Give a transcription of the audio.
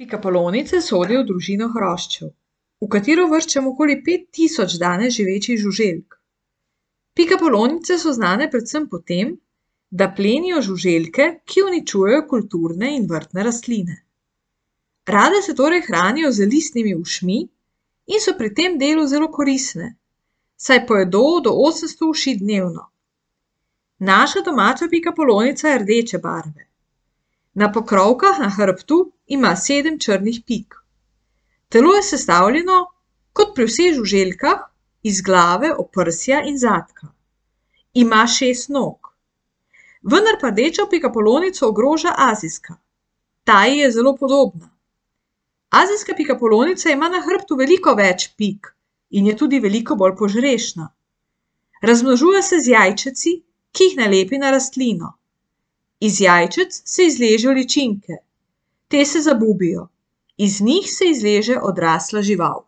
Pikapolonice sodijo v družino hroščev, v katero uvrščamo okoli 5000 danes živečih žuželk. Pikapolonice so znane predvsem po tem, da plenijo žuželke, ki uničujejo kulturne in vrtne rastline. Rade se torej hranijo z listnimi ušmi in so pri tem delu zelo koristne, saj pojedo do 800 uši dnevno. Naša domača pikapolonica je rdeče barve. Na pokrovkah na hrbtu ima 7 črnih pik. Telo je sestavljeno, kot pri vseh žuželkah, iz glave, oprsja in zadka. Ima 6 nog. Vendar pa rdečo pikapolonico ogroža azijska. Ta ji je zelo podobna. Azijska pikapolonica ima na hrbtu veliko več pik in je tudi veliko bolj požrešna. Razmnožuje se z jajčeci, ki jih nalepi na rastlino. Iz jajčec se izležejo ličinke. Te se zabubijo. Iz njih se izleže odrasla žival.